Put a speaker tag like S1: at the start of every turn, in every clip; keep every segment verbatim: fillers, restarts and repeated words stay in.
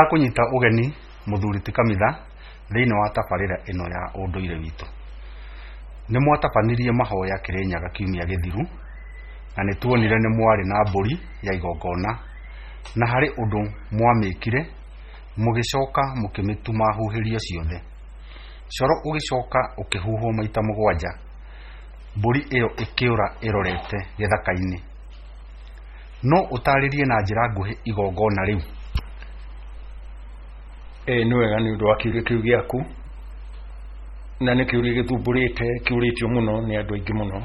S1: Ndakũnyita ũgeni mũthuri ti Kamitha thĩinĩ wa tabarĩra ĩno ya ũndũire witũ. Nĩ mwatabanirie mahoya Kĩrĩnyaga kiumia gĩthiru na nĩ tuonire nĩ mwarĩ na mbũri ya igongona na harĩ ũndũ mwamĩkire mũgĩcoka mũkĩmĩtuma huhĩrio ciothe. Coro ũgĩcoka ũkĩhuhwo maita mũgwanja, mbũri ĩyo ĩkĩũra ĩrorete gĩthaka-inĩ. No ũtarĩrie na njĩra nguhĩ igongona rĩu?
S2: Ĩĩ nĩ wega nĩ ũndũ wa kĩũria kĩu gĩaku, na nĩ kĩũria gĩthumbũrĩte kĩũrĩtio mũno nĩ andũ aingĩ mũno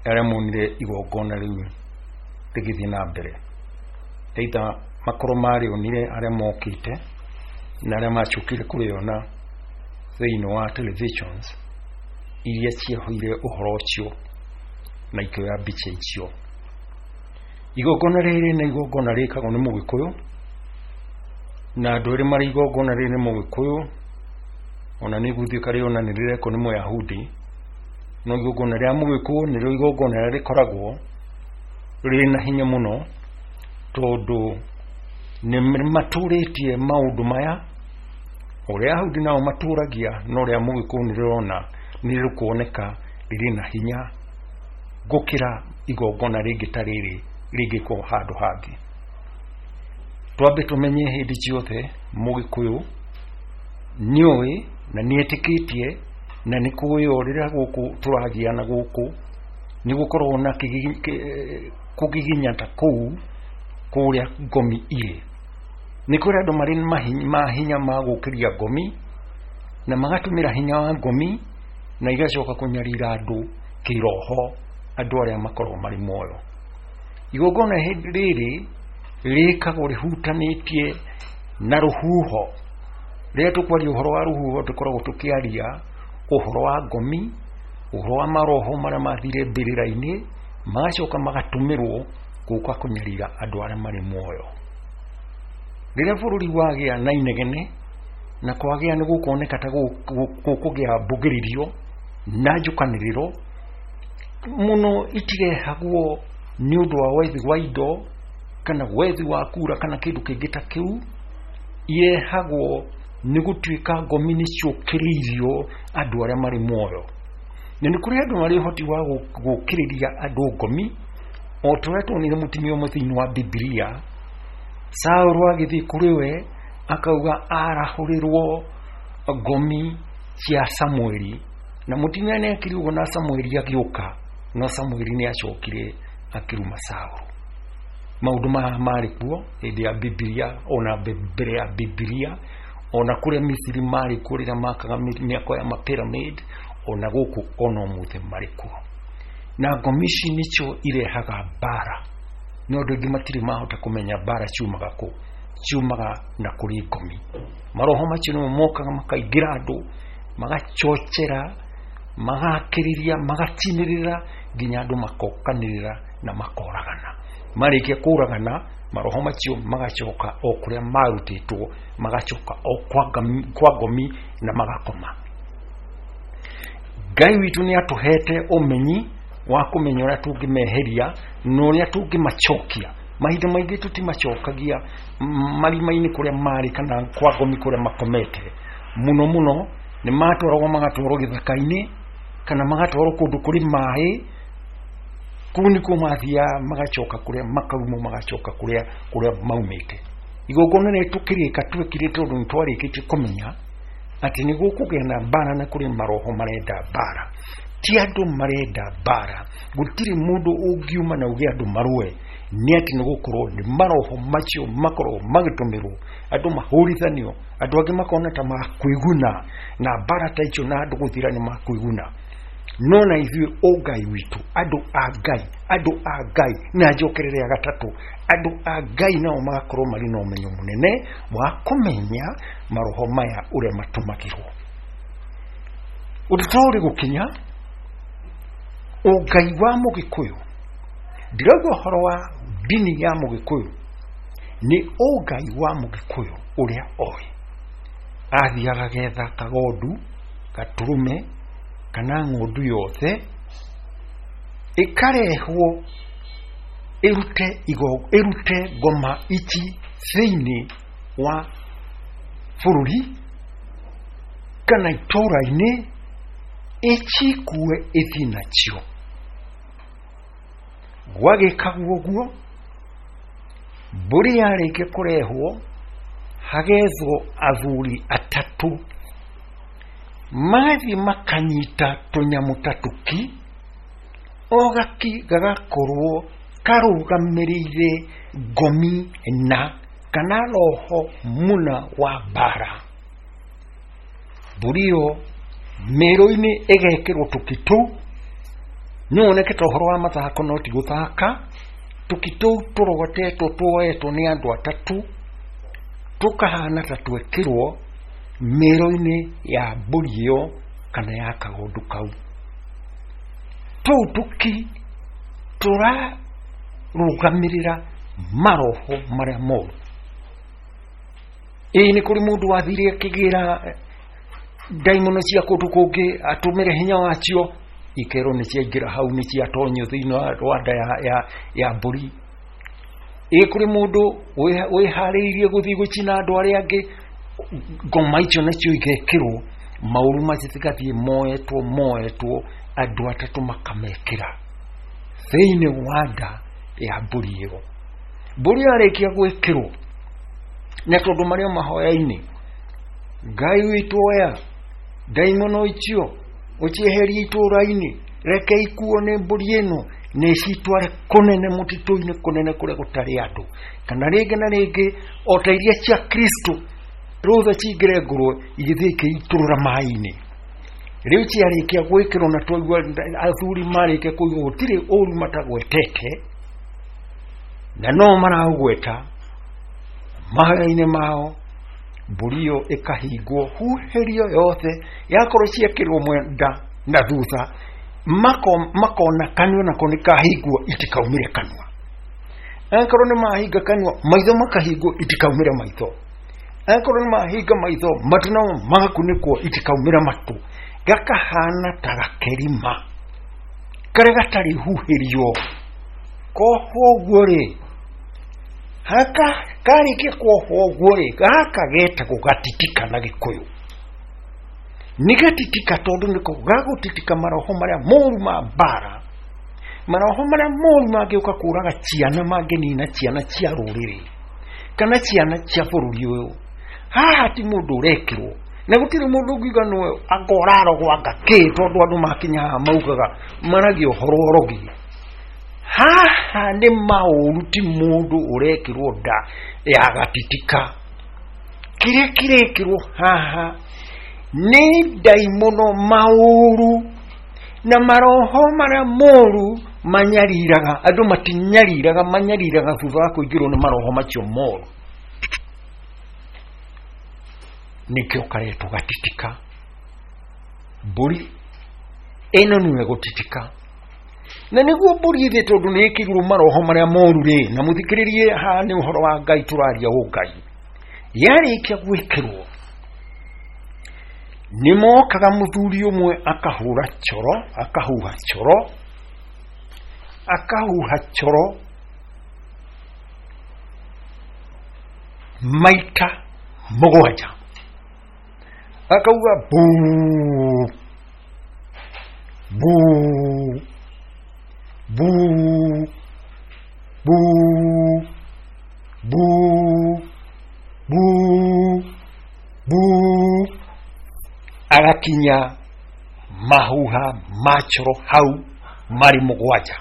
S2: arĩa monire igongona rĩu rĩgĩthiĩ na mbere, either makorwo marĩonire arĩa mokĩte na arĩa macokire kũrĩona thĩinĩ wa televisions iria ciahoire ũhoro ũcio na ikĩoya mbica icio. Igongona rĩrĩ nĩ igongona rĩkagwo nĩ Mũgĩkũyũ, na andũ erĩ marĩ igongona rĩrĩ nĩ Mũgĩkũyũ, ona nĩ gũtuĩka rĩona nĩ rĩrekwo nĩ Mũyahudi, no igongona rĩa Mũgĩkũyũ nĩrĩo igongona rĩrĩa rĩkoragwo rĩna hinya mũno, tondũ nĩ matũrĩtie maũndũ maya ũrĩa Ayahudi nao matũragia, no rĩa Mũgĩkũyũ nĩ rĩrona nĩ rĩkuoneka rĩrĩ na hinya gũkĩra igongona rĩngĩ ta rĩrĩ rĩngĩkwo handũ hangĩ. Twambe tũmenye hĩndĩ ciothe Mũgĩkũyũ nĩoĩ na nĩetĩkĩtie na nĩ kũĩ o rĩrĩa gũkũ tũragĩa na gũkũ nĩ gũkoragwo na kũgiginya ta kũu kũrĩa ngomi irĩ. Nĩ kũrĩ andũ marĩ mahinya ma gũkĩria ngomi na magatũmĩra hinya wa ngomi na igacoka kũnyarira andũ kĩroho, andũ arĩa makoragwo marĩ muoyo. Igongona rĩrĩ rĩkagwo rĩhutanĩtie na rũhuho. Rĩrĩa tũkwaria ũhoro wa rũhuho tũkoragwo tũkĩaria ũhoro wa ngomi, ũhoro wa maroho marĩa mathire mbĩrĩra-inĩ magacoka magatũmĩrwo gũka kũnyarira andũ arĩa marĩ muoyo. Rĩrĩa bũrũri wagĩa na inegene na kwagĩa nĩ gũkuoneka ta gũkũgĩa mbugĩrĩrio na njũkanĩrĩro mũno, itirehagwo nĩ ũndũ wa wethi wa indo kana wethi wa kura kana kĩndũ kĩngĩ ta kĩu, irehagwo nĩ gũtuĩka ngomi nĩ ciũkĩrĩirio andũ arĩa marĩ muoyo. Na nĩ kũrĩ andũ marĩ ũhoti wa gũkĩrĩria andũ ngomi, o ta ũrĩa tuonire mũtumia ũmwe thĩinĩ wa Bibilia, Saũlũ agĩthiĩ kũrĩ we akauga arahũrĩrwo ngomi cia Samueli, na mũtumia nĩ ekire ũguo na Samueli agĩũka, no Samueli nĩ acokire akĩruma Saũlũ. Maũndũ maya marĩ kuo hĩndĩ ya Bibilia, ona mbere ya Bibilia, ona kũrĩa Misiri marĩ kuo rĩrĩa makaga mĩako ya mapyramid, ona gũkũ ona ũmũthĩ marĩ kuo. Na ngomi ici nĩcio irehaga mbara, no andũ aingĩ matirĩ mahota kũmenya mbara ciumaga kũ, ciumaga na kũrĩ ngomi. Maroho macio nĩmo mokaga makaingĩra andũ, magachochera, magakĩrĩria, magatinĩrĩra nginya andũ makokanĩrĩra na makoragana. Marĩkia kũragana, maroho macio magacoka o kũrĩa marutĩtwo, magacoka o kwa ngomi na magakoma. Ngai witũ nĩ atũhete ũmenyi wa kũmenya ũrĩa tũngĩmeheria na ũrĩa tũngĩmacokia. Mahinda maingĩ tũtimacokagia marima-inĩ kũrĩa marĩ kana kwa ngomi kũrĩa makomete. Mũno mũno nĩ matwaragwo magatwarwo gĩthaka-inĩ kana magatwarwo kũndũ kũrĩ maĩ, kũu nĩkuo mathiaga magacoka kũrĩa makaumwo, magacoka kũrĩa kũrĩa maumĩte. Igongona rĩrĩ tũkĩrĩka twekire tondũ nĩ twarĩkĩtie kũmenya atĩ nĩ gũkũgĩa na mbara na kũrĩ maroho marenda mbara, ti andũ marenda mbara. Gũtirĩ mũndũ ũngiuma na uge andũ marũe, nĩ atĩ nĩ gũkorwo nĩ maroho macio makoragwo magĩtũmĩrwo andũ mahũrithanio, andũ angĩ makona ta makwĩguna na mbara ta icio na andũ gũthira nĩ makwĩguna. No na ithuĩ ũngai witũ, andũ a Ngai, andũ a Ngai, na njokerere ya gatatũ, andũ a Ngai nao magakorwo marĩ na ũmenyo mũnene wa kũmenya maroho maya ũrĩa matũmagĩrwo. Ũndũ ta ũrĩ gũkinya ũngai wa Mũgĩkũyũ, ndirauga ũhoro wa ndini ya Mũgĩkũyũ, nĩ ũngai wa Mũgĩkũyũ ũrĩa oĩ. Athiaga getha kagondu, gatũrũme kana ng'ondu yothe ĩkarehwo ĩrute igo ĩrute ngoma ici thĩinĩ wa bũrũri kana itũũra-inĩ ĩcikue ĩthiĩ nacio. Gwagĩkagwo ũguo, mbũri yarĩkia kũrehwo hagethwo athuri atatũ magathiĩ makanyita tũnyamũ ta tũki, o gaki gagakorwo karũgamĩrĩire ngomi na kana roho muna wa mbara. Mbũri ĩyo mĩrũ-inĩ ĩgekĩrwo tũki tũu, no woneke ta ũhoro wa mathako no ti gũthaka. Tũki tũu tũrogotetwo tuoetwo nĩ andũ atatũ tũkahana ta twekĩrwo mĩrũ-inĩ ya mbũri ĩyo kana ya kagondu kau. Tũu tũki tũrarũgamĩrĩra maroho marĩa moru. Ĩĩ nĩ kũrĩ mũndũ wathire akĩgĩra ndaimono cia kũndũ kũngĩ atũmĩre hinya wacio, ikerwo nĩ ciaingĩra hau, nĩ ciatonyio thĩinĩ wa nda ya, ya, ya mbũri. Ĩĩ kũrĩ mũndũ wĩharĩirie gũthiĩ gũcina andũ arĩa angĩ, ngoma icio nacio igekĩrwo maũru macio cigathiĩ moetwo moetwo andũ atatũ makamekĩra thĩinĩ wa nda ya mbũri ĩyo. Mbũri yarĩkia gwĩkĩrwo, na tondũ marĩ o mahoya-inĩ, Ngai witũ oya ndaimono icio ũcieherie itũũra-inĩ, reke ikuo nĩ mbũri ĩno na ĩcitware kũnene mũtitũ-inĩ kũnene kũrĩa gũtarĩ andũ, kana rĩngĩ na rĩngĩ o ta iria cia Kristo rũtha cingĩre ngũrwe igĩthiĩ ikĩitũrũra maĩ-inĩ. Rĩu ciarĩkia gwĩkĩrwo na twaigua athuri marĩkia kũigua gũtirĩ ũru matagwetete, na no maraũgweta mahoya-inĩ mao, mbũri ĩyo ĩkahingwo huhĩrio yothe, yakorwo ciekĩrwo mwenda na thutha makona kanua nako nĩ kahingwo itikaumĩre kanua, angĩkorwo nĩ mahinga kanua maitho makahingwo itikaumĩre maitho, angĩkorwo nĩ mahinga maitho matũ namo magakunĩkwo itikaumĩre matũ, gakahana ta gakerima karĩa gatarĩ huhĩrio. Kohwo ũguo rĩ, haka karĩkia kuohwo ũguo rĩ, gaka getagwo gatitika na Gĩkũyũ. Nĩ gatitika tondũ nĩko gagũtitika maroho marĩa moru ma mbara, maroho marĩa moru mangĩũka kũraga ciana, mangĩnina ciana cia rũrĩrĩ kana ciana cia bũrũri ũyũ. Haha ti mũndũ ũrekĩrwo, na gũtirĩ mũndũ ũngiuga nĩwe anga ũrarogwo anga kĩ, tondũ andũ makinya haha maugaga maragia ũhoro ũrogi. Haha nĩ maũru, ti mũndũ ũrekĩrwo nda ya gatitika. Kĩrĩa kĩrekĩrwo haha nĩ ndaimono maũru na maroho marĩa moru manyariraga andũ, matinyariraga, manyariraga thutha wa kũingĩrwo nĩ maroho macio moru, nĩkĩo karetwo gatitika. Mbũri ĩno nĩwe gũtitika, na nĩguo mbũri ĩthĩ tondũ nĩ ĩkĩirwo maroho marĩa moru rĩ, na mũthikĩrĩrie haha nĩ ũhoro wa Ngai tũraria ũngai. Yarĩkia gwĩkĩrwo nĩ mokaga mũthuri ũmwe akahũra coro, akahuha coro, akahuha coro maita mũgwanja, akauga buu buu buu buu buu buu buu, agakinya mahuha ma coro hau marĩ mũgwanja.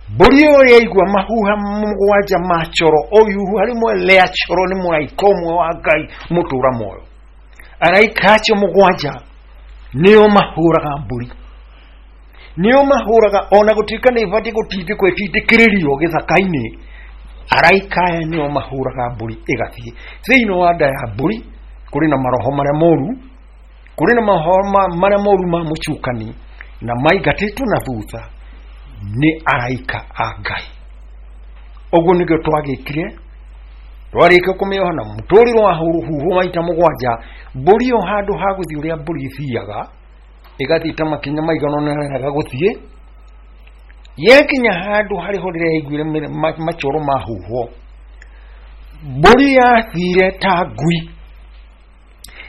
S2: Mbũri ĩyo yaigua mahuha mũgwanja ma coro, o ihuha rĩmwe rĩa coro nĩ mũraika ũmwe wa Ngai mũtũra muoyo. Araika acio mũgwanja nĩo mahũraga mbũri, nĩo mahũraga, ona gũtuĩka nĩ ĩbatiĩ gũtindĩkwo ĩtindĩkĩrĩrio gĩthaka-inĩ, araika aya nĩo mahũraga mbũri ĩgathiĩ thĩinĩ wa nda ya mbũri. Kũrĩ na maroho marĩa moru, kũrĩ na maroho marĩa moru ma mũcukani, na maingatĩtwo na thutha nĩ araika a Ngai. Ũguo nĩguo twagĩkire, twarĩkia kũmĩoha na mũtũrĩro wa huhwo maita mũgwanja. Mbũri ĩyo handũ ha gũthiĩ ũrĩa mbũri ĩthiaga, ĩgathiĩ ta makinya maigana ũna ĩrega gũthiĩ, yakinya handũ harĩ ho rĩrĩa yaiguire macoro mahuhwo, Mbũri yathire ta ngui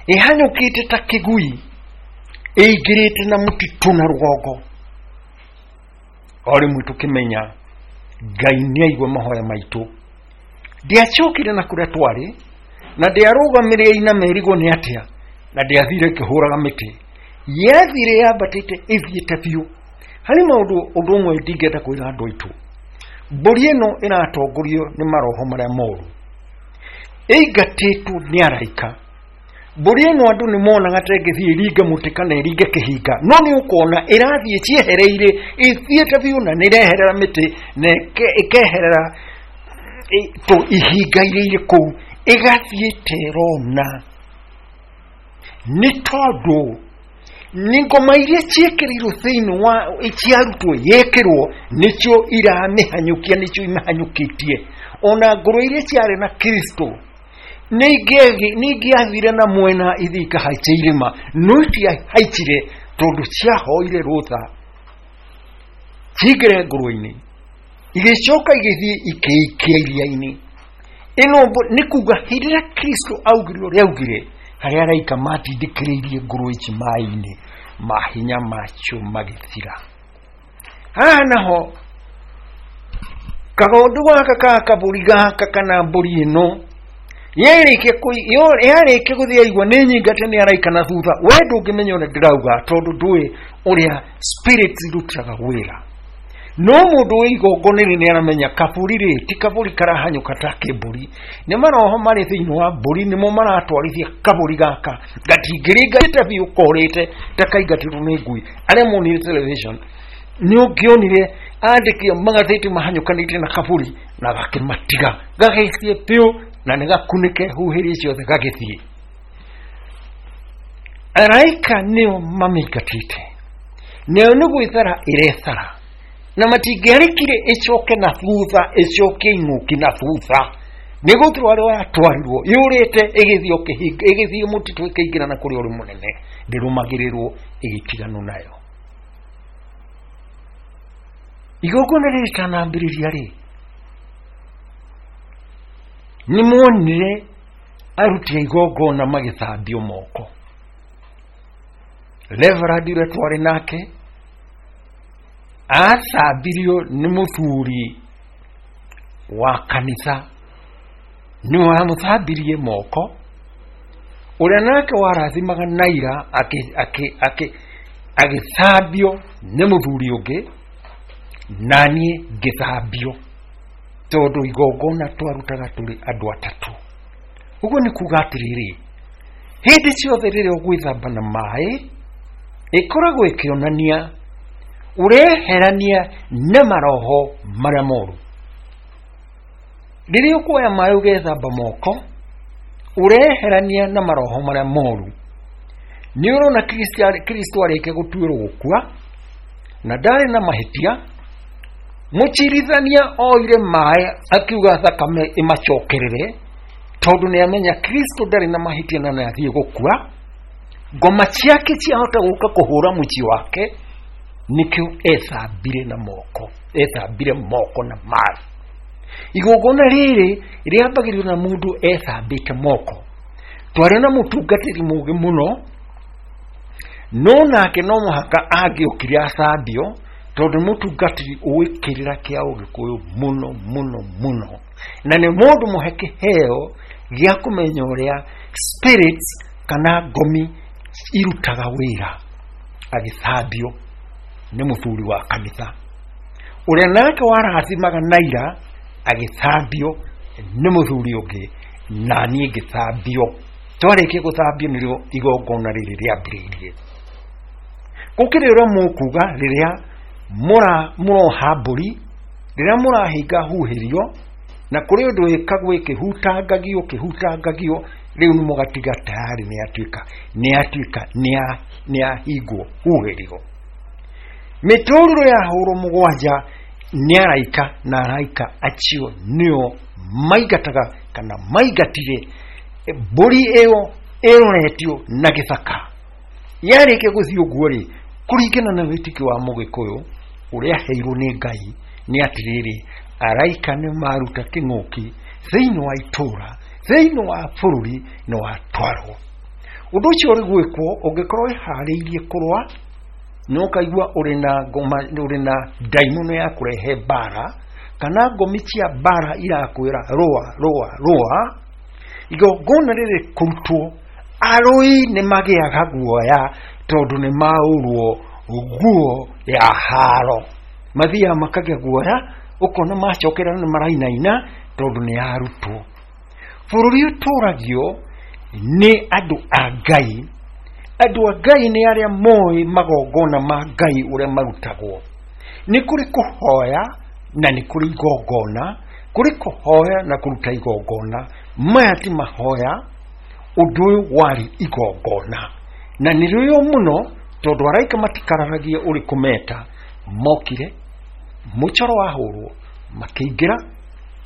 S2: ĩhanyũkĩte ta kĩgui ĩingĩrĩte na mũtitũ na rũgongo. O rĩmwe tũkĩmenya Ngai nĩ aigua mahoya maitũ. Ndiacokire na kũrĩa twarĩ na ndiarũgamire iname ĩrigwo nĩ atĩa, na ndiathire ĩkĩhũraga mĩtĩ, yathire yambatĩte ĩthiĩte biũ. Harĩ maũndũ ũndũ ũmwe ndingĩenda kwĩra andũ aitũ, mbũri ĩno ĩratongorio nĩ maroho marĩa moru, ĩingatĩtwo nĩ araika. Mbũri ĩno andũ nĩ monaga ta ĩngĩthiĩ ĩringe mũtĩ kana ĩringe kĩhinga, no nĩ ũkuona ĩrathiĩ ciehereire ĩthiĩte biũ na nĩ ĩreherera mĩtĩ na ĩkeherera tũ ihinga iria irĩ kũu, ĩgathiĩ ta ĩrona. Nĩ tondũ nĩ ngoma iria ciĩkĩrĩirwo thĩinĩ wa ciarutwo yekĩrwo nĩcio iramĩhanyũkia, nĩcio imĩhanyũkĩtie. Ona ngũrwe iria ciarĩ na Kristo nĩ ingĩathire na mwena ithiĩ ikahaice irĩma, no itiahaicire tondũ ciahoire rũtha cingĩre ngũrwe-inĩ, igĩcoka igĩthiĩ ikĩikia iria-inĩ. Ĩno nĩ kuga hĩndĩ ĩrĩa Kristo augire ũrĩa augire, harĩa araika matindĩkĩrĩirie ngũrwe ici maĩ-inĩ, mahinya macio magĩthira. Haha naho kagondu gaka ka kabũri gaka kana mbũri ĩno yarĩkia yarĩkia gũthiĩ aigua nĩ nyingate nĩ araika na thutha. We ndũngĩmenya ũrĩa ndĩrauga tondũ ndũĩ ũrĩa spirits irutaga wĩra. No mũndũ wĩ igongona-inĩ nĩ aramenya kabũri rĩ ti kabũri karahanyũka ta kĩmbũri, nĩ maroho marĩ thĩinĩ wa mbũri nĩmo maratwarithia kabũri gaka gatingĩringĩte biũ korĩte ta kaingatĩtwo nĩ ngui. Arĩa monire television nĩ ũngĩonire andĩki a magathĩti mahanyũkanĩte na kabũri na gakĩmatiga gagĩthiĩ biũ na nĩ gakunĩke huhĩrie ciothe gagĩthiĩ. Araika nĩo mamĩingatĩte, nayo nĩ gwĩthara ĩrethara, na matingĩarĩkire ĩcoke na thutha, ĩcoke ing'ũki na thutha. Nĩ gũtwarwo yatwarirwo yũrĩte ĩgĩthiĩ kĩhinga, ĩgĩthiĩ mũtitũ ĩkĩingĩra na kũrĩa ũrĩ mũnene, ndĩrũmagĩrĩrwo ĩgĩtiganwo nayo. Igongona rĩrĩ rĩtanambĩrĩria rĩ, nĩ monire aruti a igongona magĩthambio moko. Reverend ũrĩa twarĩ nake athambirio nĩ mũthuri wa kanitha, nĩwe wamũthambirie moko. Ũrĩa nake warathimaga Naira agĩthambio nĩ mũthuri ũngĩ, na niĩ ngĩthambio tondũ igongona twarutaga tũrĩ andũ atatũ. Ũguo nĩ kuga atĩrĩrĩ, hĩndĩ ciothe rĩrĩa ũgwĩthamba na maĩ ĩkoragwo ĩkĩonania ũreherania na maroho marĩa moru. Rĩrĩa ũkuoya maĩ ũgethamba moko, ũreherania na maroho marĩa moru. Nĩ ũrona Kristo arĩkia gũtuĩrwo gũkua na ndarĩ na mahĩtia, mũcirithania oire maĩ akiuga thakame ĩmacokerere tondũ nĩ amenya Kristo ndarĩ na mahĩtia na nĩ athiĩ gũkua. Ngoma ciake ciahota gũka kũhũra mũciĩ wake, nĩkĩo ethambire na moko, ethambire moko na maĩ. Igongona rĩrĩ rĩambagĩrĩrio na mũndũ ethambĩte moko. Twarĩ na mũtungatĩri mũũgĩ mũno, no nake no mũhaka angĩokire athambio tondũ mũtungatĩri ũĩ kĩrĩra kĩa Ũgĩkũyũ mũno mũno mũno, na nĩ mũndũ mũhe kĩheo gĩa kũmenya ũrĩa spirits kana ngomi irutaga wĩra. Agĩthambio nĩ mũthuri wa kanitha. Ũrĩa nake warathimaga Naira agĩthambio nĩ mũthuri ũngĩ, na niĩ ngĩthambio. Twarĩkia gũthambio nĩrĩo igongona rĩrĩ rĩambĩrĩirie. Gũkĩrĩ ũrĩa mũkuga rĩrĩa mũroha mbũri, rĩrĩa mũrahinga huhĩrio, na kũrĩ ũndũ wĩkagwo ĩkĩhutangagio kĩhutangagio, rĩu nĩ mũgatiga tayari nĩ yatuĩka nĩ yatuĩka nĩ yahingwo huhĩrio. Mĩtũrĩro yahũrwo mũgwanja nĩ araika, na araika acio nĩo maingataga kana maingatire mbũri ĩyo ĩroretio na gĩthaka. Yarĩkia gũthiĩ ũguo rĩ, kũringana na wĩtĩkio wa Mũgĩkũyũ ũrĩa aheirwo nĩ Ngai nĩ atĩrĩrĩ, araika nĩ maruta kĩng'ũki thĩinĩ wa itũũra, thĩinĩ wa bũrũri nĩ watwarwo. Ũndũ ũcio ũrĩ gwĩkwo ũngĩkorwo wĩharĩirie kũrũa, nĩ ũkaigua ũrĩ na ngoma, ũrĩ na ndaimono ya kũrehe mbara, kana ngomi cia mbara irakwĩra rũa rũa rũa. Igongona rĩrĩ kũrutwo, arũi nĩ magĩaga guoya tondũ nĩ maũrwo nguo ya haro. Mathiaga makagĩa guoya, ũkona macokera nĩ marainaina tondũ nĩ yarutwo. Bũrũri ũtũragio nĩ andũ a Ngai. Andũ a Ngai nĩ arĩa moĩ magongona ma Ngai ũrĩa marutagwo. Nĩ kũrĩ kũhoya na nĩ kũrĩ igongona, kũrĩ kũhoya na kũruta igongona. Maya ti mahoya, ũndũ ũyũ warĩ igongona. Na nĩ rĩo mũno tondũ araika matikararagia ũrĩ kũmeta. Mokire, mũcoro wahũrwo, makĩingĩra,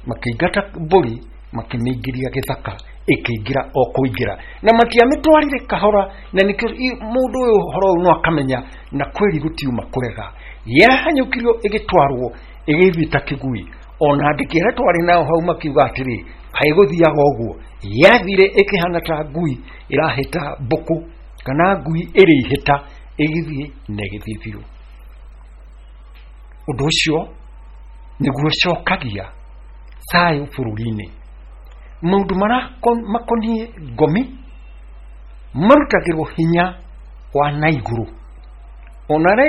S2: makĩingata mbũri, makĩmĩingĩria gĩthaka, ĩkĩingĩra o kũingĩra. Na matiamĩtwarire kahora, na nĩkĩo mũndũ ũyũ ũhoro ũyũ no akamenya na kweri gũtiuma kũrega. Yahanyũkirio ĩgĩtwarwo, ĩgĩthiĩ ta kĩgui. Ona andĩki arĩa twarĩ nao hau makiuga atĩrĩ, kaĩ gũthiaga ũguo. Yathire ĩkĩhana ta ngui ĩrahĩta mbũkũ, kana ngui ĩrĩ ihĩta, ĩgĩthiĩ na ĩgĩthiĩ biũ. Ũndũ ũcio nĩguo ũcokagia thayũ bũrũri-inĩ. Maũndũ makoniĩ ngomi marutagĩrwo hinya wa na igũrũ. Ona rĩ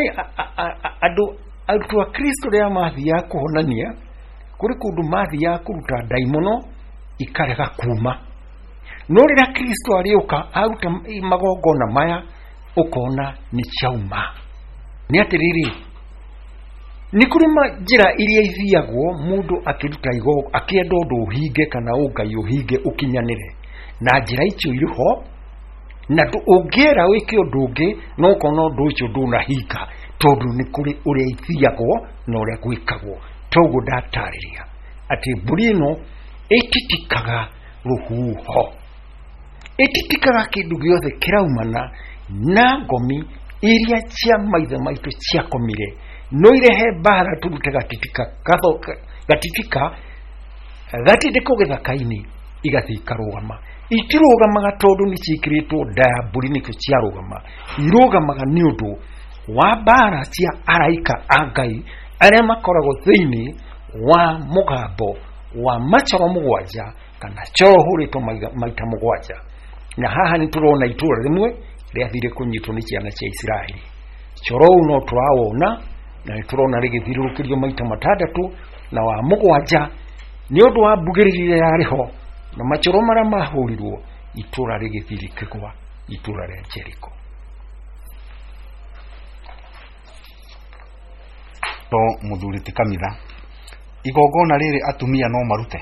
S2: andũ arutwo a Kristo rĩrĩa mathiaga kũhonania, kũrĩ kũndũ mathiaga kũruta ndaimono ikarega kuma. No rĩrĩa Kristo arĩũka aruta magongona maya, ũkona nĩ ciauma. Nĩ atĩrĩrĩ, nĩ kũrĩ njĩra iria ithiagwo mũndũ akĩruta igongona, akĩenda ũndũ ũhinge kana ũngai ũhinge ũkinyanĩre. Na njĩra icio irĩ ho, na ũngĩera wĩke ũndũ ũngĩ, no ũkona ũndũ ũcio ndũnahinga, tondũ nĩ kũrĩ ũrĩa ithiagwo na ũrĩa gwĩkagwo. Toguo ndatarĩria atĩ mbũri ĩno ĩtitikaga rũhuho, ĩtitikaga kĩndũ gĩothe kĩraumana na ngomi iria cia maithe maitũ ciakomire. No irehe mbara tũrute gatitika gatitika gatindĩkwo gĩthaka-inĩ, igathiĩ ikarũgama. Itirũgamaga tondũ nĩ ciĩkĩrĩtwo nda ya mbũri nĩkĩo ciarũgama. Irũgamaga nĩ ũndũ wa mbara cia araika a Ngai arĩa makoragwo thĩinĩ wa mũgambo wa macoro mũgwanja kana coro ũhũrĩtwo maita mũgwanja. Na haha nĩ tũrona itũũra rĩmwe rĩathire kũnyitwo nĩ ciana cia Isiraeli. Coro ũyũ no tũrawona, na nĩ tũrona rĩgĩthiũrũrũkĩrio maita matandatũ, na wa mũgwanja nĩ ũndũ wa mbugĩrĩrio yarĩ ho na macoro marĩa mahũrirwo, itũũra rĩgĩthiĩ rĩkĩgwa, itũũra rĩa Jeriko.
S1: To mũthuri ti kamitha, igongona rĩrĩ atumia no marute?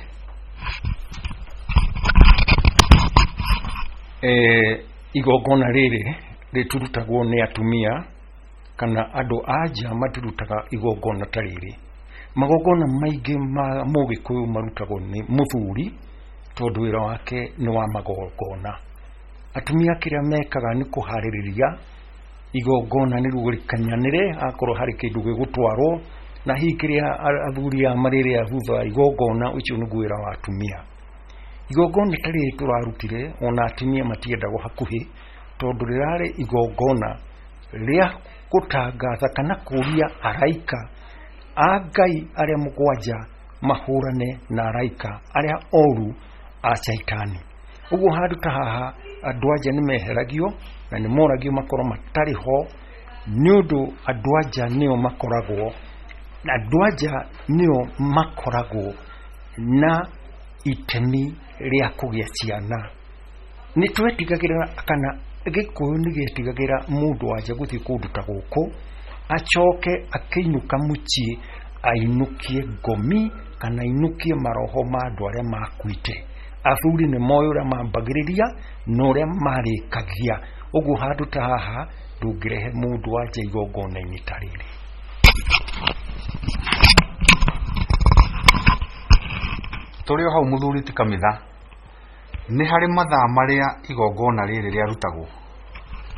S2: Eh, igongona rĩrĩ rĩturutagwo nĩ atumia kana andũ a nja matirutaga igongona ta rĩrĩ. Magongona maingĩ ma mũgĩkũyũ marutagwo nĩ mũthuri tondũ wĩra wake nĩ wa magongona. Atumia kĩrĩa mekaga nĩ kũharĩrĩria igongona nĩguo rĩkinyanĩre, akorwo harĩ kĩndũ gĩgũtwarwo, na hihi kĩrĩa athuri aya marĩrĩa thutha wa igongona, ũcio nĩguo wĩra wa atumia. Igongona ta rĩrĩ tũrarutire, ona atumia matiendagwo hakuhĩ, tondũ rĩrarĩ igongona rĩa gũtangatha kana kũria araika a Ngai arĩa mũgwanja mahũrane na araika arĩa oru a Caitani. Ũguo handũ ta haha andũ anja nĩ meheragio na nĩ moragio makorwo matarĩ ho, nĩ ũndũ andũ anja nĩo makoragwo andũ anja nĩo makoragwo na itemi rĩa kũgĩa ciana. Nĩ twetigagĩra kana Gĩkũyũ nĩ gĩetigagĩra mũndũ wanja gũthiĩ kũndũ ta gũkũ acoke akĩinũka mũciĩ ainũkie ngomi kana ainũkie maroho ma andũ arĩa makuĩte. Athuri nĩ moĩ ũrĩa mambagĩrĩria na ũrĩa marĩkagia. Ũguo handũ ta haha ndũngĩrehe mũndũ wanja igongona-inĩ ta rĩrĩ.
S1: Tũrĩ o hau mũthuri ti kamitha, nĩ harĩ mathaa marĩa igongona rĩrĩ rĩarutagwo?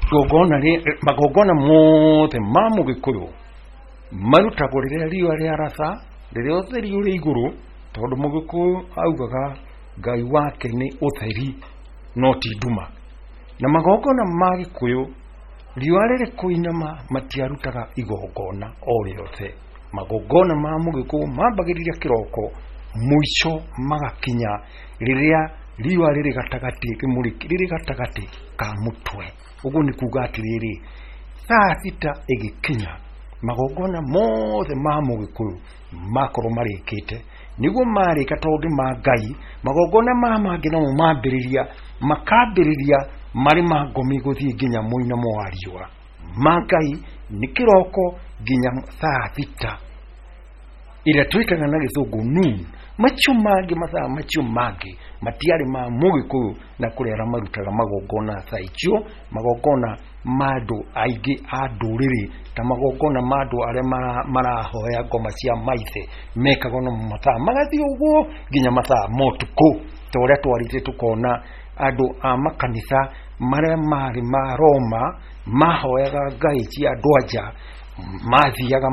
S2: Igongona magongona mothe ma mũgĩkũyũ marutagwo rĩrĩa riũa rĩaratha, rĩrĩa ũtheri ũrĩ igũrũ, Tondũ Mũgĩkũyũ augaga Ngai wake nĩ ũtheri no ti nduma. Na magongona ma Gĩkũyũ riũa rĩrĩ kũinama matiarutaga igongona o rĩothe. Magongona ma Mũgĩkũyũ mambagĩrĩria kĩroko, mũico magakinya rĩrĩa riũa rĩrĩ gatagatĩ rĩrĩ gatagatĩ ka mũtwe. Ũguo nĩ kuga atĩrĩrĩ, thaa thita ĩgĩkinya magongona mothe ma Mũgĩkũyũ makorwo marĩkĩte. Nĩguo marĩka tondũ ma Ngai, magongona ma mangĩ namo mambĩrĩria makambĩrĩria marĩ ma ngomi gũthiĩ nginya mũinamo wa riũa. Ma Ngai nĩ kĩroko nginya thaa thita ĩrĩa twĩtaga na gĩthũngũ noon. Macio mangĩ mathaa macio mangĩ matiarĩ ma Mũgĩkũyũ na kũrĩ arĩa marutaga magongona thaa icio, magongona ma andũ aingĩ a ndũrĩrĩ ta magongona ma andũ arĩa marahoya ngoma cia maithe mekagwo na mathaa magathiĩ ũguo nginya mathaa ma ũtukũ, ta ũrĩa twarĩte tũkona andũ a makanitha marĩa marĩ ma Roma mahoyaga ngai cia andũ anja mathiaga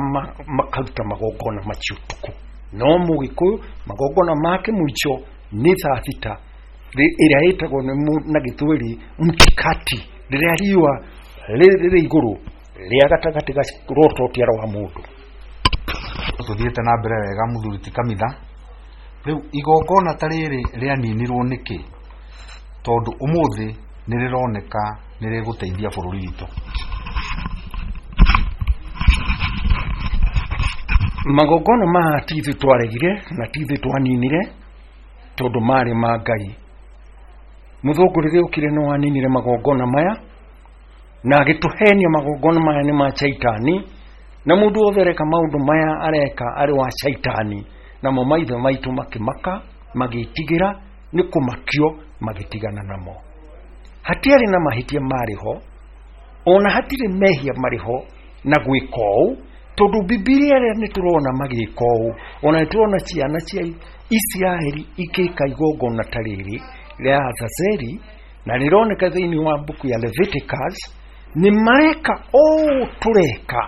S2: makaruta magongona macio ũtukũ. No Mũgĩkũyũ magongona make mũico nĩ thaa thita ĩrĩa ĩtagwo na gĩthweri mtikati, rĩrĩa riũa rĩrĩ igũrũ rĩa gatagatĩ ga rototia rwa mũndũ.
S1: Tũthiĩte na mbere wega mũthuri ti kamitha. Rĩu igongona ta rĩrĩ rĩaninirwo nĩkĩ? Tondũ ũmũthĩ nĩ rĩroneka nĩ rĩgũteithia bũrũri witũ.
S2: Magongona maya ti ithuĩ twaregire na ti ithuĩ twaninire tondũ marĩ ma Ngai. Mũthũngũ rĩrĩa okire no aninire magongona maya na agĩtũhenia magongona maya nĩ ma caitani, na mũndũ wothe areka maũndũ maya areka arĩ wa caitani. Namo maithe maitũ makĩmaka, magĩtigĩra nĩ kũmakio, magĩtigana namo. Hatiarĩ na mahĩtia marĩ ho, ona hatirĩ mehia marĩ ho na gwĩka ũũ, tondũ Bibilia ĩrĩa nĩ tũrona magĩka ũũ, ona nĩ tũrona ciana cia Isiraeli ikĩka igongona ta rĩrĩ rĩa Azazeli, na rĩroneka thĩinĩ wa mbuku ya Leviticus nĩ mareka ũũ tũreka,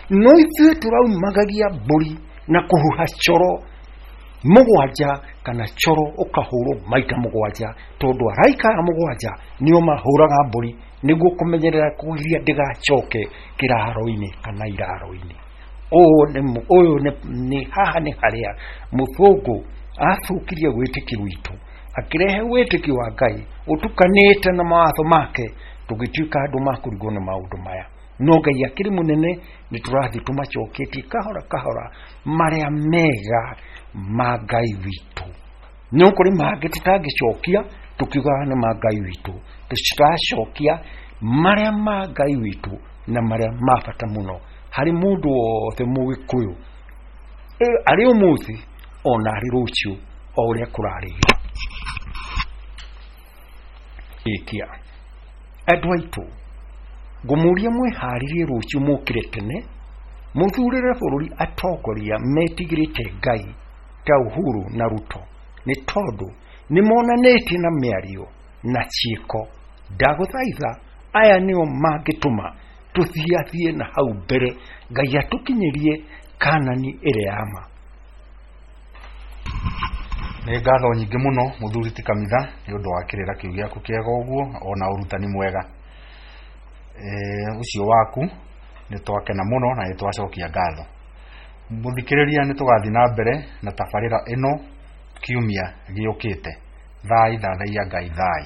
S2: no ithuĩ tũraumagagia mbũri na kũhuha coro mũgwanja kana coro ũkahũrwo maita mũgwanja, tondũ araika aya mũgwanja nĩo mahũraga mbũri nĩguo kũmenyerera kũgiria ndĩgacoke kĩraro-inĩ kana iraro-inĩ. Ũyũ nĩ haha nĩ harĩa mũthũngũ athũkirie wĩtĩkio witũ, akĩrehe wĩtĩkio wa Ngai ũtukanĩte na mawatho make, tũgĩtuĩka andũ makũrigwo nĩ maũndũ maya. No Ngai akĩrĩ mũnene, nĩ tũrathiĩ tũmacoketie kahora kahora marĩa mega ma Ngai witũ. No kũrĩ mangĩ tũtangĩcokia tũkiugaga nĩ ma Ngai witũ, tũtiracokia marĩa ma Ngai witũ na marĩa ma bata mũno harĩ mũndũ wothe Mũgĩkũyũ, arĩ ũmũthĩ ona arĩ rũciũ, o ũrĩa kũrarĩra. Ĩkia andũ aitũ, ngũmũria mwĩharĩrie rũciũ mũkĩre tene, mũthurĩre bũrũri atongoria metigĩrĩte Ngai ta Uhuru na Ruto, nĩ tondũ nĩ monanĩtie na mĩario na ciĩko. Ndagũthaitha aya nĩo mangĩtũma tũthiathiĩ na hau mbere, Ngai atũkinyĩrie Kanani ĩrĩa ya ma.
S1: Nĩ ngatho nyingĩ mũno mũthuri ti kamitha nĩ ũndũ wa kĩrĩra kĩu gĩaku kĩega ũguo ona ũrutani mwega ũcio waku, nĩ twakena mũno na nĩ twacokia ngatho. Mũthikĩrĩria, nĩ tũgathiĩ na mbere na tabarĩra ĩno kiumia gĩũkĩte. Thai thathaiya Ngai thai.